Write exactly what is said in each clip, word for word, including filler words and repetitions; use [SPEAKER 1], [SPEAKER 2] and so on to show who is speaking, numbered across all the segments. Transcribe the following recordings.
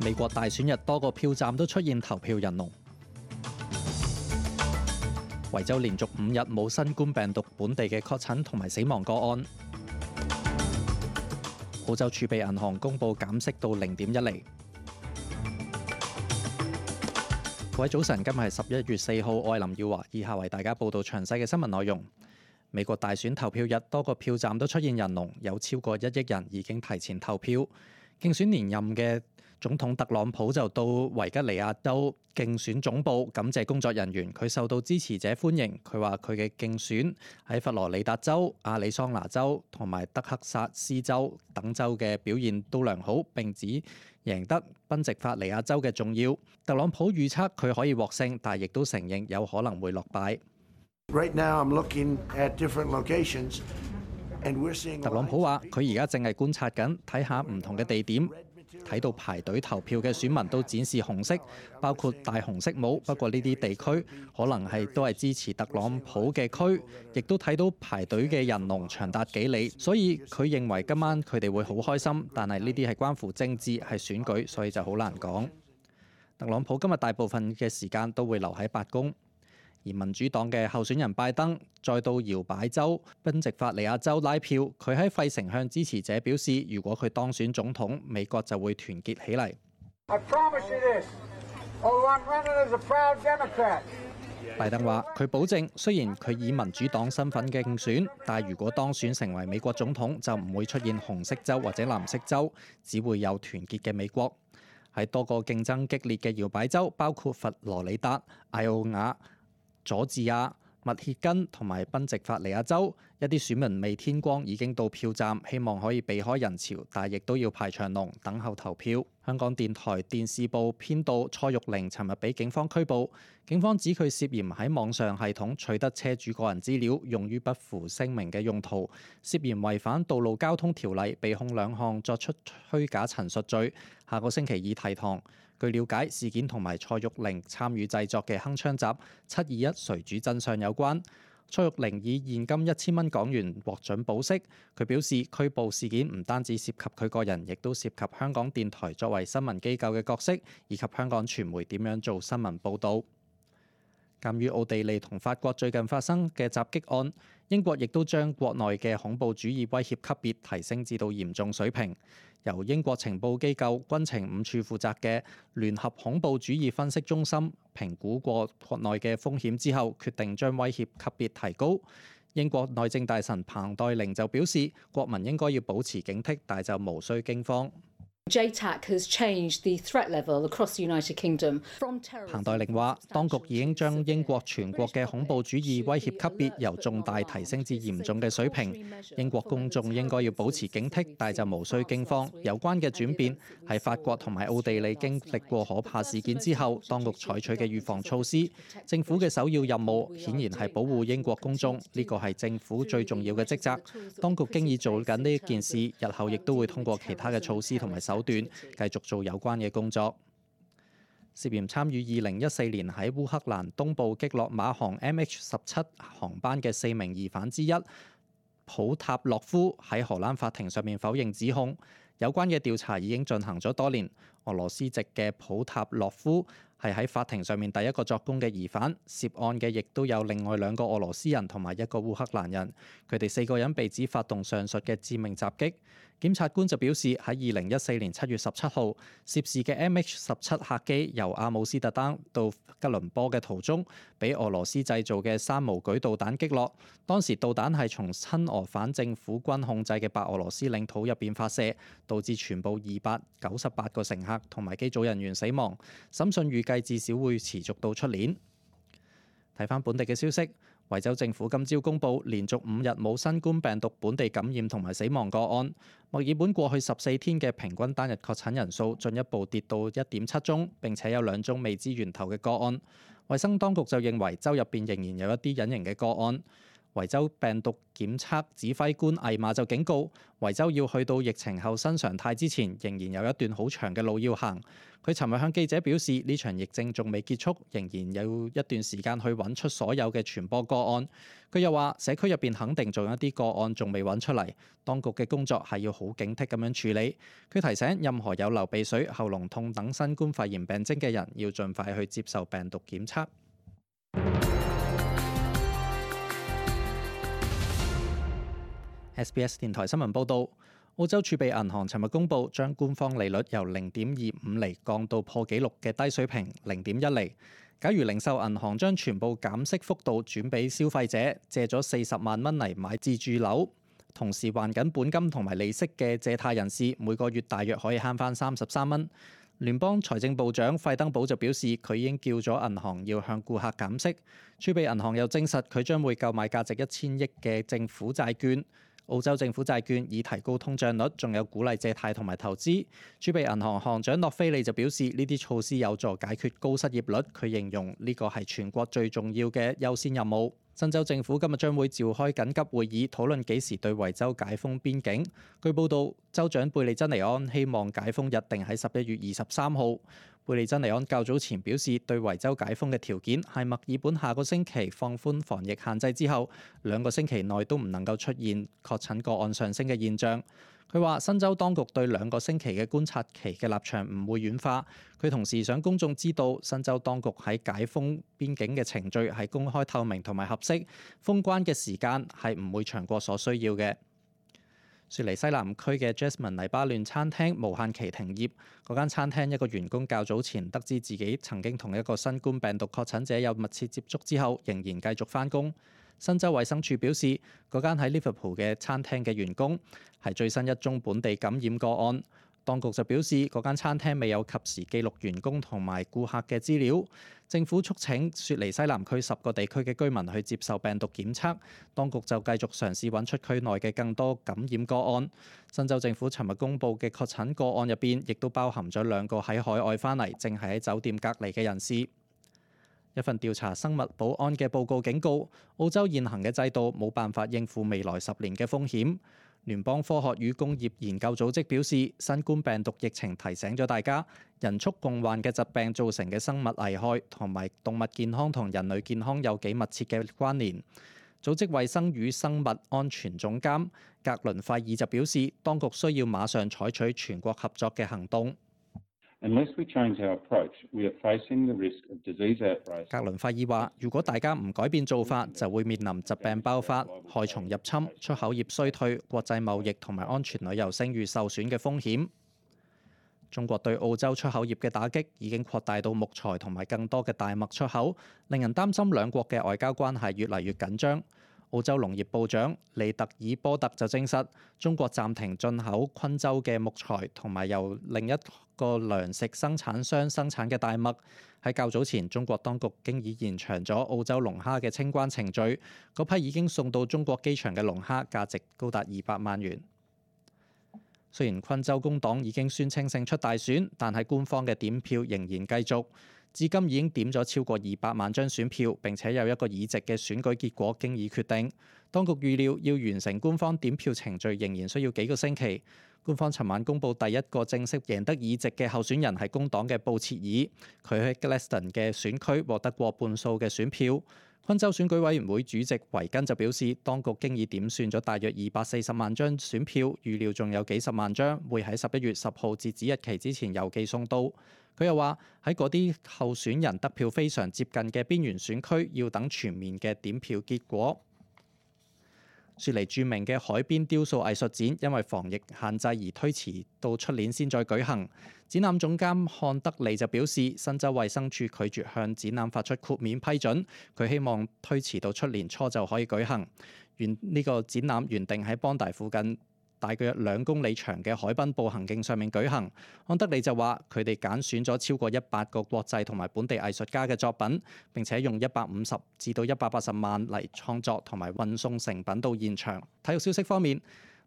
[SPEAKER 1] 美國大選日多個票站都出現投票人龍。維州連續五日冇新冠病毒本地嘅確診同埋死亡個案。澳洲儲備銀行公佈減息到零點一厘。各位早晨，今日係十一月四號，我係林耀華，以下為大家報道詳細嘅新聞內容。美國大選投票日，多個票站都出現人龍，有超過一億人已經提前投票。競選連任嘅總統特朗普就到維吉尼亞州競選總部感謝工作人員，佢受到支持者歡迎。佢話佢嘅競選喺佛羅里達州、亞利桑那州同埋德克薩斯州等州嘅表現都良好，並指贏得賓夕法尼亞州嘅重要。特朗普預測佢可以獲勝，但亦都承認有可能會落敗。
[SPEAKER 2] Right now, I'm looking at different locations, and we're seeing.
[SPEAKER 1] 特朗普話：佢而家正係觀察緊，睇下唔同嘅地點，睇到排隊投票嘅選民都展示紅色，包括戴紅色帽。不過呢啲地區可能係都係支持特朗普嘅區，亦都睇到排隊嘅人龍長達幾里，所以佢認為今晚佢哋會好開心。但係呢啲係關乎政治，係選舉，所以就好難講。特朗普今日大部分嘅時間都會留喺白宮。而民主黨嘅候選人拜登再到搖擺州賓夕法尼亞州拉票，佢喺費城向支持者表示，如果佢當選總統，美國就會團結起嚟。拜登話：佢保證，雖然佢以民主黨身份競選，但係如果當選成為美國總統，就唔會出現紅色州或者藍色州，只會有團結嘅美國。喺多個競爭激烈嘅搖擺州，包括佛羅里達、艾奧瓦、佐治亞、密歇根同埋賓夕法尼亞州，一啲選民未天光已經到票站，希望可以避開人潮，但亦都要排長龍等候投票。香港電台電視部編導蔡玉玲尋日被警方拘捕，警方指佢涉嫌喺網上系統取得車主個人資料，用於不符聲明嘅用途，涉嫌違反道路交通條例，被控兩項作出虛假陳述罪，下個星期二提堂。據了解，事件同埋蔡玉玲參與製作嘅鏗鏘集《七二一誰主真相》有關。蔡玉玲以現金一千蚊港元獲准保釋。佢表示，拘捕事件唔單止涉及佢個人，亦都涉及香港電台作為新聞機構嘅角色，以及香港傳媒點樣做新聞報導。鑑於奧地利同法國最近發生嘅襲擊案，英國亦都將國內嘅恐怖主義威脅級別提升至到嚴重水平。由英國情報機構軍情五處負責嘅聯合恐怖主義分析中心評估過國內嘅風險之後，決定將威脅級別提高。英國內政大臣彭黛玲就表示，國民應該要保持警惕，但就無需驚慌。
[SPEAKER 3] J TAC has changed the threat level across the United Kingdom from terrorism。
[SPEAKER 1] 彭黛玲話，當局已經將英國全國嘅恐怖主義威脅級別由重大提升至嚴重嘅水平。英國公眾應該要保持警惕，但就無需驚慌。有關嘅轉變係法國同埋奧地利經歷過可怕事件之後，當局採取嘅預防措施。政府嘅首要任務顯然係保護英國公眾，呢個係政府最重要嘅職責。當局經已做緊呢一件事，日後亦都會通過其他嘅措施同埋手手段繼續做有關嘅工作。涉嫌參與二零一四年喺烏克蘭東部擊落馬航 M H 十七航班嘅四名疑犯之一普塔洛夫喺荷蘭法庭上面否認指控。有關嘅調查已經進行咗多年。俄羅斯籍嘅普塔洛夫係喺法庭上面第一個作供嘅疑犯，涉案嘅亦都有另外兩個俄羅斯人同埋一個烏克蘭人，佢哋四個人被指發動上述嘅致命襲擊。檢察官就表示，喺二零一四年七月十七號，涉事嘅 M H 十七客機由阿姆斯特丹到吉倫坡嘅途中，俾俄羅斯製造嘅山無舉導彈擊落。當時導彈係從親俄反政府軍控制嘅白俄羅斯領土入邊發射，導致全部二百九十八個乘客同埋機組人員死亡。審訊預計至少會持續到出年。睇返本地嘅消息。維州政府今朝公布，連續五日冇新冠病毒本地感染同埋死亡個案。墨爾本過去十四天嘅平均單日確診人數進一步跌到一點七宗，並且有兩宗未知源頭嘅個案。衛生當局就認為州入邊仍然有一啲隱形嘅個案。維州病毒檢測指揮官魏馬就警告，維州要去到疫情後新常態之前，仍然有一段好長嘅路要行。佢尋日向記者表示，呢場疫症仲未結束，仍然有一段時間去揾出所有嘅傳播個案。佢又話，社區入邊肯定仲有一啲個案仲未揾出嚟，當局嘅工作係要好警惕咁樣處理。佢提醒任何有流鼻水、喉嚨痛等新冠肺炎病徵嘅人，要盡快去接受病毒檢測。S B S 電台新聞報導，澳洲儲備銀行尋日公佈，將官方利率由零點二五厘降到破紀錄嘅低水平零點一厘。假如零售銀行將全部減息幅度轉俾消費者，借咗四十萬蚊嚟買自住樓，同時還緊本金同埋利息嘅借貸人士，每個月大約可以慳翻三十三蚊。聯邦財政部長費登堡就表示，佢已經叫咗銀行要向顧客減息。儲備銀行又證實，佢將會購買價值一千億嘅政府債券。澳洲政府債券以提高通脹率，仲有鼓勵借貸同埋投資。儲備銀行行長諾菲利就表示，呢啲措施有助解決高失業率。佢形容呢個係全國最重要嘅優先任務。新州政府今日將會召開緊急會議，討論幾時對維州解封邊境。據報道，州長貝利珍尼安希望解封日定喺十一月二十三號。貝利珍尼安較早前表示，對維州解封嘅條件係墨爾本下個星期放寬防疫限制之後，兩個星期內都唔能夠出現確診個案上升嘅現象。佢話新州當局對兩個星期嘅觀察期嘅立場唔會軟化。佢同時想公眾知道，新州當局喺解封邊境嘅程序係公開透明同埋合適，封關嘅時間係唔會長過所需要嘅。雪梨西南區嘅 Jasmine 黎巴嫩餐廳無限期停業。嗰間餐廳一個員工較早前得知自己曾經同一個新冠病毒確診者有密切接觸之後，仍然繼續返工。新州衛生署表示，嗰間喺 Liverpool 嘅餐廳嘅員工係最新一宗本地感染個案。當局就表示，嗰間餐廳未有及時記錄員工同埋顧客嘅資料。政府促請雪梨西南區十個地區嘅居民去接受病毒檢測。當局就繼續嘗試揾出區內嘅更多感染個案。新州政府尋日公布嘅確診個案入邊，亦都包含咗兩個喺海外返嚟，正係喺酒店隔離嘅人士。一份調查生物保安嘅報告警告，澳洲現行嘅制度冇辦法應付未來十年嘅風險。聯邦科學與工業研究組織表示，新冠病毒疫情提醒咗大家，人畜共患嘅疾病造成嘅生物危害同埋動物健康同人類健康有幾密切嘅關聯。組織衛生與生物安全總監格倫費爾就表示，當局需要馬上採取全國合作嘅行動。
[SPEAKER 4] Unless we change our approach, we are facing the risk of disease outbreaks.
[SPEAKER 1] 格倫費爾話：如果大家唔改變做法，就會面臨疾病爆發、害蟲入侵、出口業衰退、國際貿易同埋安全旅遊聲譽受損嘅風險。中國對澳洲出口業嘅打擊已經擴大到木材同埋更多嘅大麥出口，令人擔心兩國嘅外交關係越嚟越緊張。澳洲農業部長利特爾波特就證實，中國暫停進口昆州嘅木材同埋由另一個糧食生產商生產嘅大麥。喺較早前，中國當局經已延長咗澳洲龍蝦嘅清關程序，嗰批已經送到中國機場嘅龍蝦價值高達二百萬元。雖然昆州工黨已經宣稱勝出大選，但係官方嘅點票仍然繼續。至今已經點咗超過二百萬張選票，並且有一個議席嘅選舉結果經已決定。當局預料要完成官方點票程序仍然需要幾個星期。官方尋晚公佈第一個正式贏得議席嘅候選人係工黨嘅布切爾，佢喺 Gladstone 嘅選區獲得過半數嘅選票。昆州選舉委員會主席維根就表示，當局經已點算咗大約二百四十萬張選票，預料仲有幾十萬張會喺十一月十號截止日期之前郵寄送到。佢又話喺嗰啲候選人得票非常接近嘅邊緣選區，要等全面嘅點票結果。雪梨著名嘅海邊雕塑藝術展因為防疫限制而推遲到出年先再舉行。展覽總監漢德利就表示，新州衛生署拒絕向展覽發出豁免批准，佢希望推遲到出年初就可以舉行。原呢個展覽原定喺邦大附近大約兩公里長嘅海濱步行徑上面舉行。安德利就話，佢哋揀選咗超過一百個國際同埋本地藝術家嘅作品，並且用一百五十至到一百八十萬嚟創作同埋運送成品到現場。體育消息方面，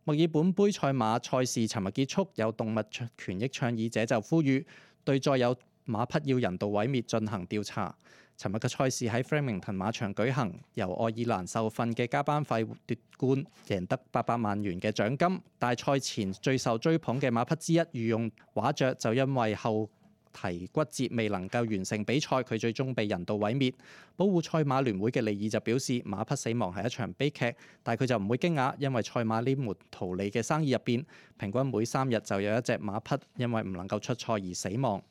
[SPEAKER 1] 墨爾本杯賽馬賽事尋日結束，有動物權益倡議者就呼籲對再有馬匹要人道毀滅進行調查。尋日嘅賽事喺 Flemington 馬場舉行，由愛爾蘭受訓嘅加班費奪冠，贏得八百萬元嘅獎金。但係賽前最受追捧嘅馬匹之一御用畫雀就因為後蹄骨折未能夠完成比賽，佢最終被人道毀滅。保護賽馬聯會嘅利爾就表示，馬匹死亡係一場悲劇，但係佢就唔會驚訝，因為賽馬呢門圖利嘅生意入邊，平均每三日就有一隻馬匹因為唔能夠出賽而死亡。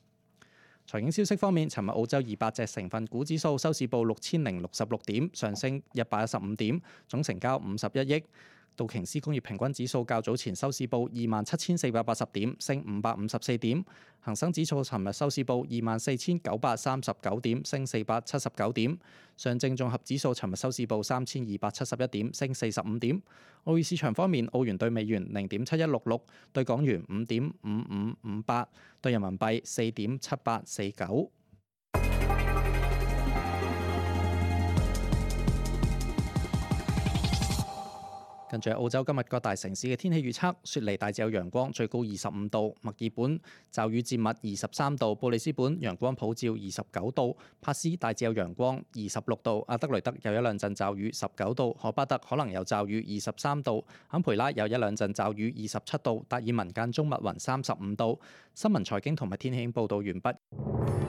[SPEAKER 1] 財經消息方面，尋日澳洲二百隻成分股指數收市報六千零六十六點，上升一百一十五點，總成交五十一億。道瓊斯工業平均指數較早前收市報二萬七千四百八十點，升五百五十四點。恒生指數尋日收市報二萬四千九百三十九點，升四百七十九點。上證綜合指數尋日收市報三千二百七十一點，升四十五點。澳元市場方面，澳元對美元零點七一六六，對港元五點五五五八，對人民幣四點七八四九。跟住澳洲今日各大城市嘅天氣預測：雪梨大致有陽光，最高二十五度；墨爾本驟雨漸密，二十三度；布里斯本陽光普照，二十九度；帕斯大致有陽光，二十六度；阿德雷德有一兩陣驟雨，十九度；荷巴特可能有驟雨，二十三度；坎培拉有一兩陣驟雨，二十七度；達爾文間中密雲，三十五度。新聞財經同埋天氣報導完畢。